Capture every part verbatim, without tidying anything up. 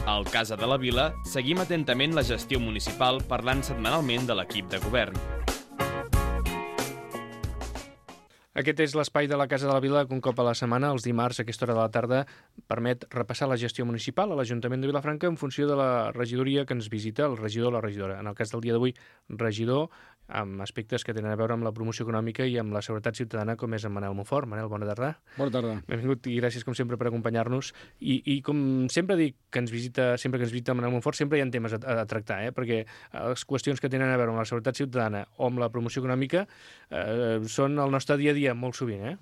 Al Casa de la Vila seguim atentament la gestió municipal parlant setmanalment de l'equip de govern. Aquest és l'espai de la Casa de la Vila que un cop a la setmana, els dimarts, a aquesta hora de la tarda, permet repassar la gestió municipal a l'Ajuntament de Vilafranca en funció de la regidoria que ens visita, el regidor o la regidora. En el cas del dia d'avui, regidor, amb aspectes que tenen a veure amb la promoció econòmica i amb la seguretat ciutadana, com és en Manel Monfort. Manel, bona tarda. Bona tarda. Benvingut i gràcies, com sempre, per acompanyar-nos. I, i com sempre dic que ens visita, sempre que ens visita Manel Monfort, sempre hi ha temes a, a tractar, eh? Perquè les qüestions que tenen a veure amb la seguretat ciutadana o amb la promoció econòmica eh, són el nostre dia a dia molt sovint, eh?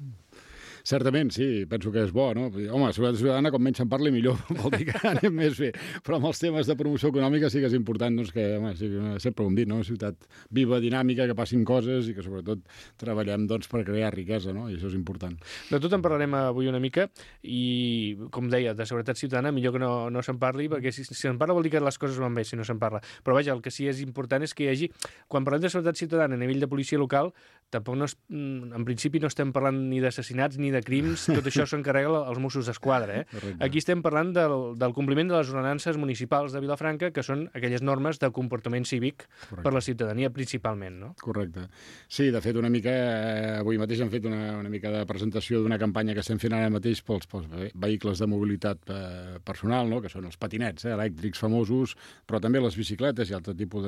Certament, sí, penso que és bo, no? Home, la seguretat ciutadana, com menys se'n parli, millor, vol dir que anem més bé. Però amb els temes de promoció econòmica sí que és important, doncs, que, home, sí, sempre ho hem dit, no? Una ciutat viva, dinàmica, que passin coses i que, sobretot, treballem, doncs, per crear riquesa, no? I això és important. De tot en parlarem avui una mica i, com deia, de seguretat ciutadana, millor que no, no se'n parli, perquè si, si se'n parla vol dir que les coses van bé, si no se'n parla. Però, vaja, el que sí és important és que hi hagi... Quan parlem de seguretat ciutadana a nivell de policia local, tampoc no es, en principi no estem parlant ni d'assassinats ni de crims, tot això s'encarrega als Mossos d'Esquadra. Eh? Aquí estem parlant del, del compliment de les ordenances municipals de Vilafranca, que són aquelles normes de comportament cívic Correcte. Per la ciutadania principalment, no? Correcte. Sí, de fet, una mica, eh, avui mateix hem fet una, una mica de presentació d'una campanya que estem fent ara mateix pels, pels vehicles de mobilitat eh, personal, no? Que són els patinets eh, elèctrics famosos, però també les bicicletes i altre tipus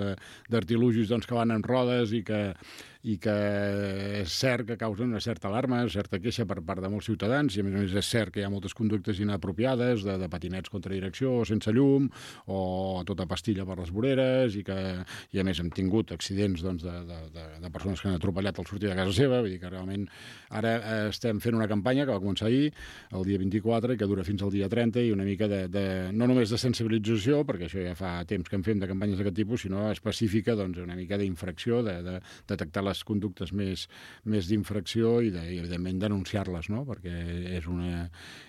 d'artilugis doncs, que van en rodes i que, i que és cert que causen una certa alarma, certa queixa per part de molts ciutadans, i a més a més és cert que hi ha moltes conductes inapropiades de, de patinets contra direcció, sense llum, o tota pastilla per les voreres, i que i a més hem tingut accidents doncs, de, de, de, de persones que han atropellat al sortir de casa seva, vull dir que realment ara eh, estem fent una campanya que va començar ahir, el dia vint-i-quatre, i que dura fins al dia trenta, i una mica de, de no només de sensibilització, perquè això ja fa temps que en fem de campanyes d'aquest tipus, sinó específica, doncs, una mica d'infracció, de, de detectar les conductes més, més d'infracció i, de, i evidentment denunciar-les, no? Perquè és una,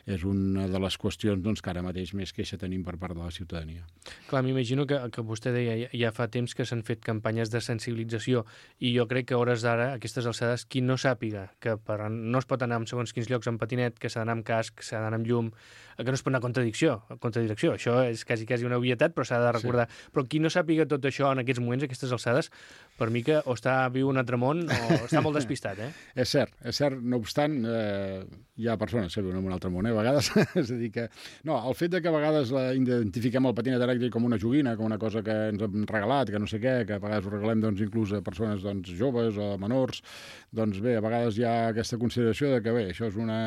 és una de les qüestions doncs, que ara mateix més queixa tenim per part de la ciutadania. Clar, m'imagino que, que vostè deia ja, ja fa temps que s'han fet campanyes de sensibilització i jo crec que a hores d'ara, a aquestes alçades, qui no sàpiga que per, no es pot anar en segons quins llocs en patinet, que s'ha d'anar amb casc, s'ha d'anar amb llum, que no es pot anar a contradicció, a contradirecció. Això és quasi, quasi una obvietat, però s'ha de recordar. Sí. Però qui no sàpiga tot això en aquests moments, a aquestes alçades, per mi que o està viu un altre món o està molt despistat, eh? És cert, és cert. No obstant, eh, hi ha persones que viuen en un altre món, eh, a vegades. És a dir que... No, el fet de que a vegades la, identifiquem el patinet elèctric com una joguina, com una cosa que ens hem regalat, que no sé què, que a vegades ho regalem doncs, inclús a persones doncs, joves o menors, doncs bé, a vegades hi ha aquesta consideració de que bé, això és, una,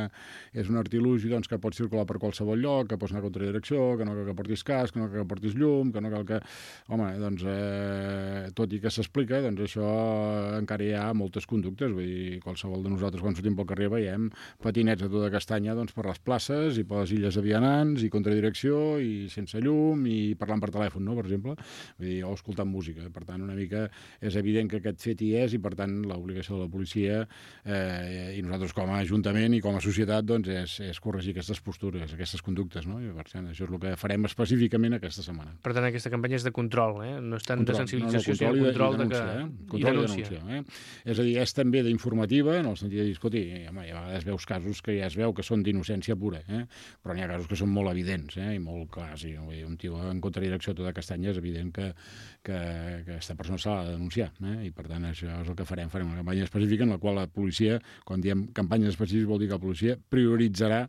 és un artilugi doncs, que pot circular per qualsevol lloc, que pots anar a contradirecció, que no cal que portis casc, que no cal que portis llum, que no cal que... Home, doncs, eh, tot i que s'explica, doncs això encara hi ha moltes conductes, vull dir, qualsevol de nosaltres quan sortim pel carrer veiem patinets a tota castanya doncs, per les places i per les illes de vianants i contradirecció i sense llum i parlant per telèfon, no?, per exemple, vull dir, o escoltant música. Per tant, una mica és evident que aquest fet hi és i, per tant, l'obligació de la policia eh, i nosaltres com a ajuntament i com a societat doncs, és, és corregir aquestes postures, aquestes conductes, no? I per tant, això és el que farem específicament aquesta setmana. Per tant, aquesta campanya és de control, eh? No és tant control, de sensibilització, no, no, sinó control, de, de que... Eh? Control i denúncia. I denúncia eh? És a dir, és també d'informativa, en el sentit de dir, escolti, home, a vegades veus casos que ja es veu que són d'innocència pura, eh? Però n'hi ha casos que són molt evidents, eh? I molt clars, i un tio en contradirecció a tota castanya és evident que, que, que aquesta persona s'ha de denunciar, eh? I per tant això és el que farem, farem una campanya específica en la qual la policia, quan diem campanyes específiques vol dir que la policia prioritzarà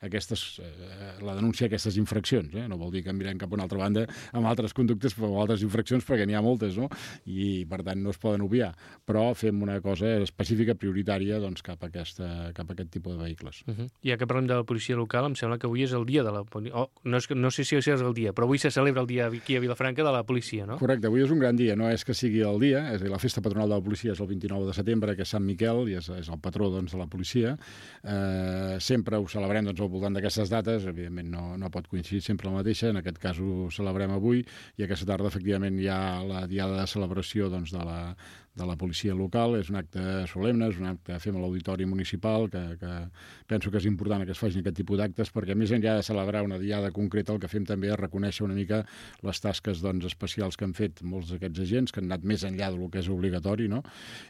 aquestes, eh, la denúncia d'aquestes infraccions, eh? No vol dir que mirem cap a una altra banda amb altres conductes o altres infraccions, perquè n'hi ha moltes, no? I per tant no es poden obviar, però fem una cosa específica, prioritària, doncs cap a, aquesta, cap a aquest tipus de vehicles. Uh -huh. Ja que parlem de la policia local, em sembla que avui és el dia de la policia, oh, no, és, no sé si és el dia, però avui se celebra el dia aquí a Vilafranca de la policia, no? Correcte, avui és un gran dia, no és que sigui el dia, és a dir, la festa patronal de la policia és el vint-i-nou de setembre, que és Sant Miquel, i és, és el patró doncs, de la policia. Eh, sempre ho celebrem doncs, al voltant d'aquestes dates, evidentment no, no pot coincidir sempre la mateixa, en aquest cas ho celebrem avui, i aquesta tarda efectivament hi ha la diada de celebració doncs, de, la, de la policia local, és un acte solemne, és un acte que fem a l'Auditori Municipal, que, que penso que és important que es facin aquest tipus d'actes, perquè més enllà de celebrar una diada concreta, el que fem també és reconèixer una mica les tasques doncs, especials que han fet molts d'aquests agents, que han anat més enllà del que és obligatori, no?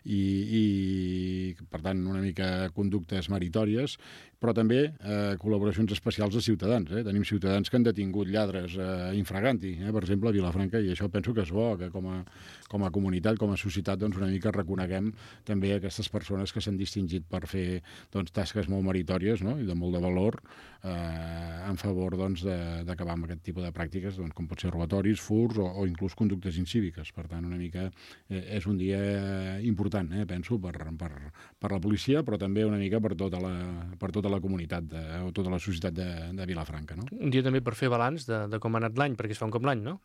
I, i per tant una mica conductes meritòries, però també eh, col·laboracions especials de ciutadans. Eh? Tenim ciutadans que han detingut lladres eh, infraganti, eh? per exemple, a Vilafranca, i això penso que és bo, que com a, com a comunitat, com a societat, doncs una mica reconeguem també aquestes persones que s'han distingit per fer doncs, tasques molt meritòries, no? I de molt de valor eh, en favor doncs, d'acabar amb aquest tipus de pràctiques, doncs, com pot ser robatoris, furs o, o inclús conductes incíviques. Per tant, una mica eh, és un dia important, eh, penso, per, per, per la policia, però també una mica per tota la, per tota la comunitat, de, o tota la societat de, de Vilafranca. No? Un dia també per fer balanç de, de com ha anat l'any, perquè es fa un cop l'any, no?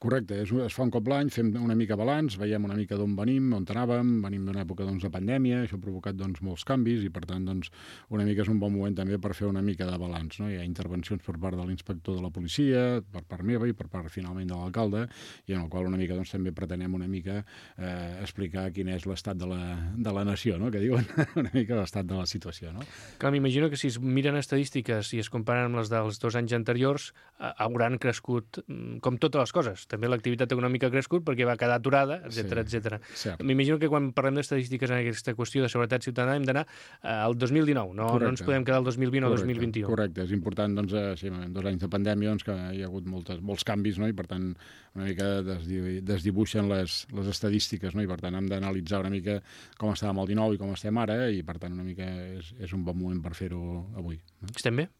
Correcte, és, es fa un cop l'any, fem una mica balanç, veiem una mica d'on venim, on anàvem, venim d'una època doncs, de pandèmia, això ha provocat doncs, molts canvis i per tant doncs, una mica és un bon moment també per fer una mica de balanç. No? Hi ha intervencions per part de l'inspector de la policia, per part meva i per part finalment de l'alcalde, i en el qual una mica doncs, també pretenem una mica eh, explicar quin és l'estat de, la, de la nació, no? Que diuen una mica l'estat de la situació. No? Clar, m'imagino que si es miren estadístiques i es comparen amb les dels dos anys anteriors, eh, hauran crescut, com totes les coses. També l'activitat econòmica ha crescut perquè va quedar aturada, etcètera, Sí, etcètera. cert. M'imagino que quan parlem d'estadístiques en aquesta qüestió de seguretat ciutadana hem d'anar eh, al dos mil dinou, no, no ens podem quedar al dos mil vint o dos mil vint-i-u. Correcte, és important, doncs, eh, sí, en dos anys de pandèmia doncs, que hi ha hagut moltes, molts canvis, no? I per tant una mica desdi desdibuixen les, les estadístiques, no? I per tant hem d'analitzar una mica com estàvem el dinou i com estem ara, i per tant una mica és, és un bon moment per fer-ho avui. No? Estem bé?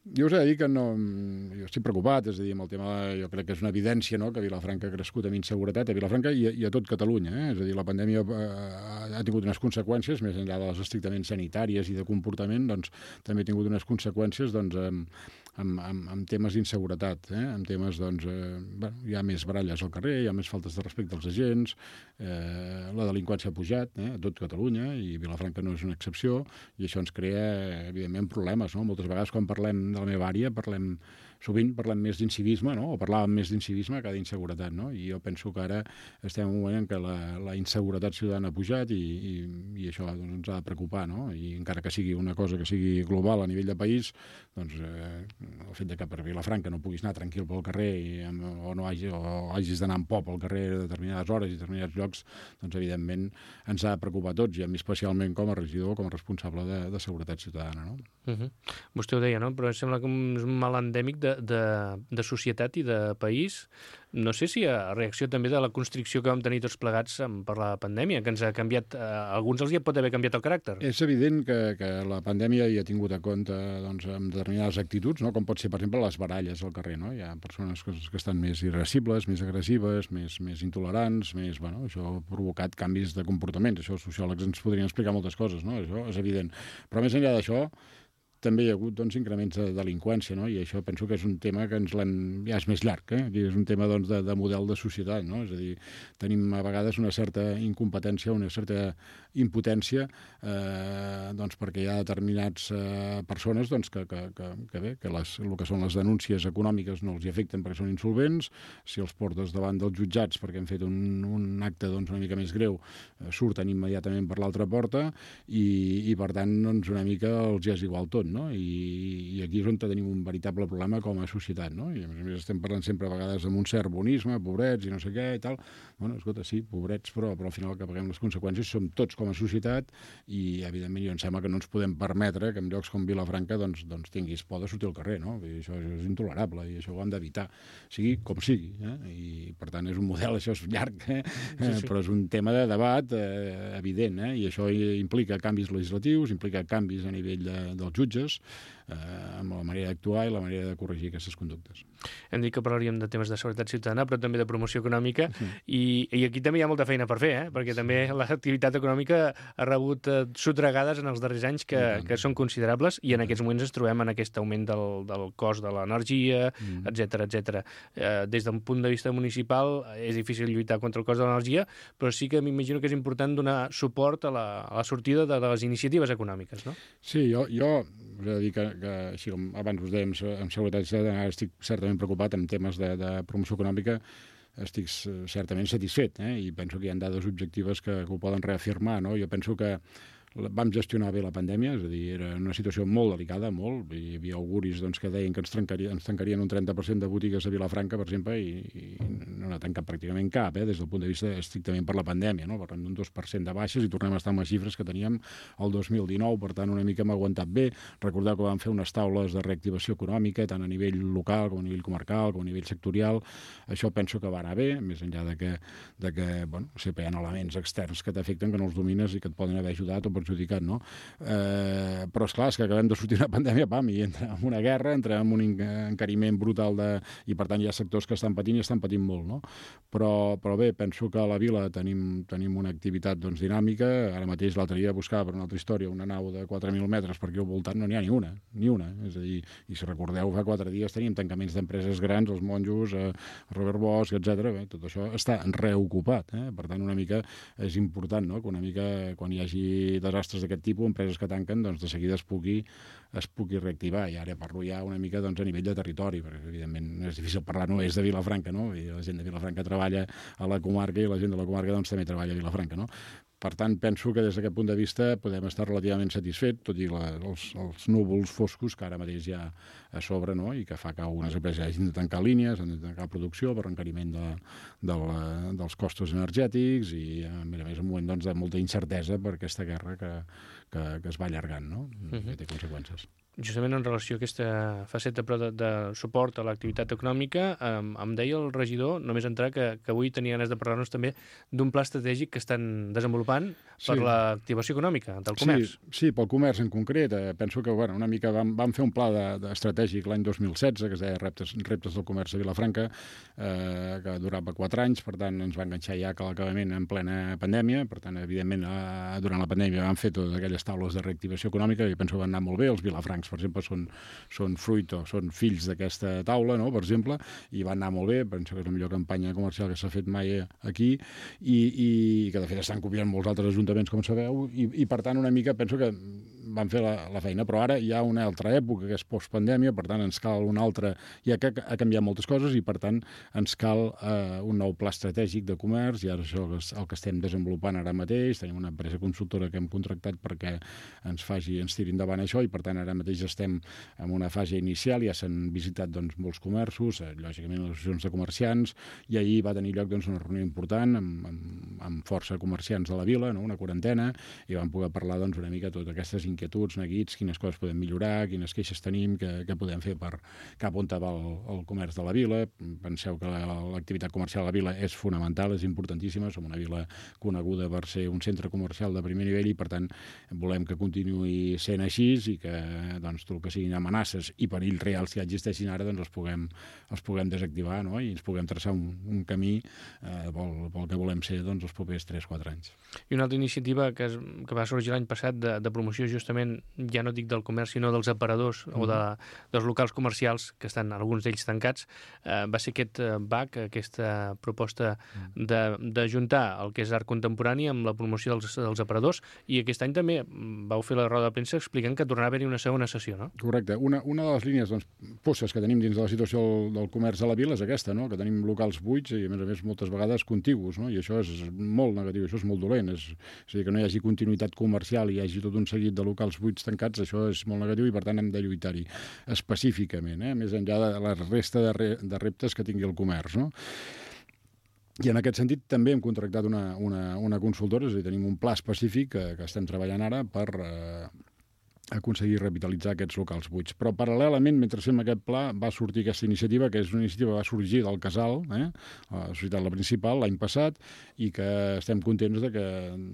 Jo us he de dir que no, jo estic preocupat, és a dir, amb el tema, jo crec que és una evidència, no?, que Vilafranca ha crescut amb inseguretat, a Vilafranca i a, i a tot Catalunya, eh? És a dir, la pandèmia ha, ha tingut unes conseqüències, més enllà de les estrictament sanitàries i de comportament, doncs també ha tingut unes conseqüències, doncs, amb, amb, amb, amb temes d'inseguretat, eh? Amb temes, doncs, eh, bueno, hi ha més baralles al carrer, hi ha més faltes de respecte als agents, eh, la delinqüència ha pujat, eh? A tot Catalunya, i Vilafranca no és una excepció, i això ens crea, evidentment, problemes, no? Moltes vegades quan parlem de la meva àrea, parlem, sovint parlem més d'incivisme, no? O parlàvem més d'incivisme que d'inseguretat, no? I jo penso que ara estem en un moment en què la, la inseguretat ciutadana ha pujat i, i, i això doncs, ens ha de preocupar, no? I encara que sigui una cosa que sigui global a nivell de país, doncs eh, el fet de que per Vilafranca no puguis anar tranquil pel carrer i, o no hagi, o hagis d'anar amb por pel carrer a determinades hores i determinats llocs, doncs evidentment ens ha de preocupar a tots, i a mi especialment com a regidor, com a responsable de, de seguretat ciutadana, no? Uh -huh. Vostè ho deia, no? Però sembla que és un mal endèmic de, de, de societat i de país. No sé si a reacció també de la constricció que vam tenir tots plegats per la pandèmia, que ens ha canviat, a alguns els hi pot haver canviat el caràcter. És evident que, que la pandèmia hi ha tingut a compte doncs, amb determinades actituds, no? Com pot ser, per exemple, les baralles al carrer. No? Hi ha persones que, que estan més irascibles, més agressives, més, més intolerants, més, bueno, això ha provocat canvis de comportaments. Això els sociòlegs ens podrien explicar moltes coses, no? Això és evident. Però més enllà d'això, també hi ha hagut doncs, increments de delinqüència, no? I això penso que és un tema que ens l'hem... ja és més llarg, eh? Aquí és un tema doncs, de, de model de societat, no? És a dir, tenim a vegades una certa incompetència, una certa impotència, eh, doncs, perquè hi ha determinats eh, persones doncs, que, que, que, que bé, que les, el que són les denúncies econòmiques no els hi afecten perquè són insolvents, si els portes davant dels jutjats perquè han fet un, un acte doncs, una mica més greu, eh, surten immediatament per l'altra porta i, i per tant doncs, una mica els hi és igual tot, no? I, i aquí és on tenim un veritable problema com a societat, no? I a més a més estem parlant sempre a vegades amb un cert bonisme, pobrets i no sé què i tal. Bueno, escolta, sí, pobrets, però, però al final que paguem les conseqüències som tots com a societat i evidentment jo em sembla que no ens podem permetre que en llocs com Vilafranca doncs, doncs tinguis por de sortir al carrer, no? I això, això és intolerable i això ho hem d'evitar, sigui com sigui, eh? I per tant és un model, això és llarg, eh? Sí, sí. Però és un tema de debat eh, evident, eh? I això implica canvis legislatius, implica canvis a nivell de, dels jutges, eh, amb la manera d'actuar i la manera de corregir aquestes conductes. Hem dit que parlaríem de temes de seguretat ciutadana, però també de promoció econòmica, sí. i, i aquí també hi ha molta feina per fer, eh? Perquè també l'activitat econòmica ha rebut eh, sotregades en els darrers anys que, que són considerables, i en aquests moments ens trobem en aquest augment del, del cost de l'energia, mm. etcètera, etcètera. Eh, des d'un punt de vista municipal és difícil lluitar contra el cost de l'energia, però sí que m'imagino que és important donar suport a la, a la sortida de, de les iniciatives econòmiques, no? Sí, jo, jo us he de dir que, que així com abans us dèiem, amb seguretat ciutadana estic certament preocupat en temes de, de promoció econòmica, estic certament satisfet, eh? I penso que hi ha dades objectives que, que ho poden reafirmar, no? Jo penso que vam gestionar bé la pandèmia, és a dir, era una situació molt delicada, molt, hi havia auguris doncs, que deien que ens, trencaria, ens tancarien un trenta per cent de botigues a Vilafranca, per exemple, i, i no n'ha tancat pràcticament cap, eh, des del punt de vista estrictament per la pandèmia, no? Parlem d'un dos per cent de baixes i tornem a estar amb les xifres que teníem el dos mil dinou, per tant, una mica hem aguantat bé. Recordeu que vam fer unes taules de reactivació econòmica, tant a nivell local com a nivell comarcal, com a nivell sectorial. Això penso que va anar bé, més enllà de que, de que bueno, sempre hi ha elements externs que t'afecten, que no els domines i que et poden haver ajudat o perjudicat, no? Eh, però, esclar, és que acabem de sortir una pandèmia, pam, i entra en una guerra, entra en un encariment brutal de... i, per tant, hi ha sectors que estan patint i estan patint molt, no? Però, però bé, penso que a la vila tenim, tenim una activitat doncs, dinàmica. Ara mateix l'altre dia buscava per una altra història una nau de quatre mil metres, perquè al voltant no n'hi ha ni una, ni una. És a dir, i si recordeu, fa quatre dies teníem tancaments d'empreses grans, els monjos, eh, Robert Bosch, etcètera. Bé, tot això està reocupat, eh? Per tant, una mica és important, no?, que una mica, quan hi hagi desastres d'aquest tipus, empreses que tanquen, doncs de seguida es pugui, es pugui reactivar. I ara parlo ja una mica doncs, a nivell de territori, perquè evidentment és difícil parlar només de Vilafranca, no? I la gent de Vilafranca treballa a la comarca i la gent de la comarca doncs, també treballa a Vilafranca, no? Per tant, penso que des d'aquest punt de vista podem estar relativament satisfets, tot i la, els, els núvols foscos que ara mateix hi ha a sobre, no?, i que fa que algunes empreses hagin de tancar línies, han de tancar producció per encariment de, de la, dels costos energètics i, a més a més, un moment doncs, de molta incertesa per aquesta guerra que, que, que es va allargant, no?, uh-huh. que té conseqüències. Justament en relació a aquesta faceta però de, de suport a l'activitat econòmica, eh, em deia el regidor, només entrar, que, que avui tenia ganes de parlar-nos també d'un pla estratègic que estan desenvolupant per sí. l'activació econòmica del comerç. Sí, sí, pel comerç en concret. Eh, penso que bueno, una mica vam, vam fer un pla de, de estratègic l'any dos mil setze, que es deia Reptes, Reptes del comerç a Vilafranca, eh, que durava quatre anys, per tant ens va enganxar ja que l'acabament en plena pandèmia, per tant, evidentment, eh, durant la pandèmia vam fer totes aquelles taules de reactivació econòmica i penso que van anar molt bé. Els vilafrancs, per exemple, són, són fruit o són fills d'aquesta taula, no?, per exemple, i van anar molt bé. Penso que és la millor campanya comercial que s'ha fet mai aquí i, i que, de fet, estan copiant molts altres ajuntaments, com sabeu, i, i per tant, una mica penso que van fer la, la feina. Però ara hi ha una altra època, que és postpandèmia, per tant, ens cal una altra... Ja que ha canviat moltes coses i, per tant, ens cal eh, un nou pla estratègic de comerç, i ara això és el que estem desenvolupant ara mateix. Tenim una empresa consultora que hem contractat perquè ens faci, ens tiri endavant això, i, per tant, ara mateix estem en una fase inicial, ja s'han visitat doncs, molts comerços, eh, lògicament les associacions de comerciants, i ahir va tenir lloc doncs, una reunió important amb, amb, amb força comerciants de la vila, no?, una quarantena, i vam poder parlar doncs, una mica de totes aquestes inquietuds, neguits, quines coses podem millorar, quines queixes tenim, què, què podem fer per cap on va el, el comerç de la vila. Penseu que l'activitat comercial a la vila és fonamental, és importantíssima, som una vila coneguda per ser un centre comercial de primer nivell i, per tant, volem que continuï sent així i que doncs, tot el que siguin amenaces i perills reals que existeixin ara doncs, els, puguem, els puguem desactivar, no?, i ens puguem traçar un, un camí eh, pel, pel que volem ser doncs, els propers tres quatre anys. I una altra iniciativa que, es, que va sorgir l'any passat de, de promoció justament, ja no dic del comerç, sinó dels aparadors mm. o de, dels locals comercials, que estan alguns d'ells tancats, eh, va ser aquest eh, B A C, aquesta proposta d'ajuntar el que és art contemporani amb la promoció dels, dels aparadors, i aquest any també vau fer la roda de premsa explicant que tornarà a haver-hi una segona sessió, no? Correcte. Una, una de les línies doncs, posses que tenim dins de la situació del, del comerç a la vila és aquesta, no?, que tenim locals buits i, a més a més, moltes vegades contigus, no?, i això és molt negatiu, això és molt dolent. És, és a dir, que no hi hagi continuïtat comercial i hi hagi tot un seguit de locals buits tancats, això és molt negatiu i, per tant, hem de lluitar-hi específicament, eh?, més enllà de la resta de, re, de reptes que tingui el comerç, no? I en aquest sentit també hem contractat una, una, una consultora, és a dir, tenim un pla específic que, que estem treballant ara per eh, aconseguir revitalitzar aquests locals buits. Però paral·lelament, mentre fem aquest pla, va sortir aquesta iniciativa, que és una iniciativa que va sorgir del Casal, eh, la societat la principal, l'any passat, i que estem contents de que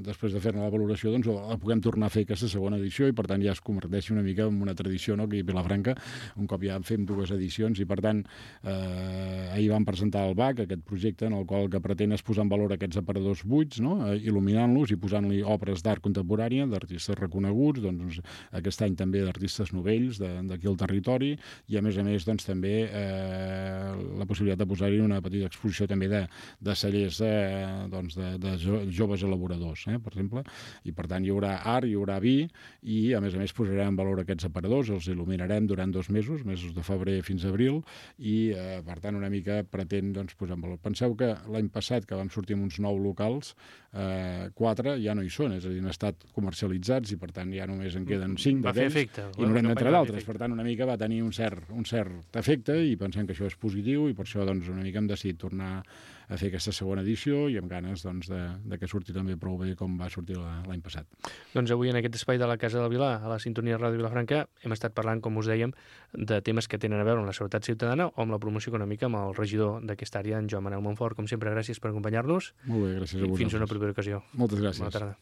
després de fer-ne la valoració doncs, la puguem tornar a fer aquesta segona edició i, per tant, ja es converteixi una mica en una tradició, no?, que a Vilafranca un cop ja fem dues edicions i, per tant, eh, ahir vam presentar el B A C, aquest projecte en el qual el que pretén és posar en valor aquests aparadors buits, no?, eh, il·luminant-los i posant-li obres d'art contemporània d'artistes reconeguts, doncs, aquest any també d'artistes novells d'aquí al territori, i a més a més doncs, també eh, la possibilitat de posar-hi una petita exposició també de, de cellers eh, doncs, de, de joves elaboradors, eh, per exemple, i per tant hi haurà art, hi haurà vi, i a més a més posarem en valor aquests aparadors, els il·luminarem durant dos mesos, mesos de febrer fins a abril, i eh, per tant una mica pretén doncs, posar en valor. Penseu que l'any passat, que vam sortir amb uns nou locals, eh, quatre ja no hi són, és a dir, han estat comercialitzats i per tant ja només en queden cinc, cinc Va fer d'aquells, efecte. i noranta entre Va fer d'altres. efecte. Per tant, una mica va tenir un cert, un cert efecte i pensem que això és positiu i per això doncs, una mica hem decidit tornar a fer aquesta segona edició i amb ganes doncs, de, de que surti també prou bé com va sortir la- l'any passat. Doncs avui en aquest espai de la Casa del Vilar, a la sintonia Ràdio Vilafranca, hem estat parlant, com us dèiem, de temes que tenen a veure amb la seguretat ciutadana o amb la promoció econòmica amb el regidor d'aquesta àrea, en Joan Manel Montfort. Com sempre, gràcies per acompanyar-nos Molt bé, gràcies a i vosaltres. fins una propera ocasió. Moltes gràcies. Bona tarda.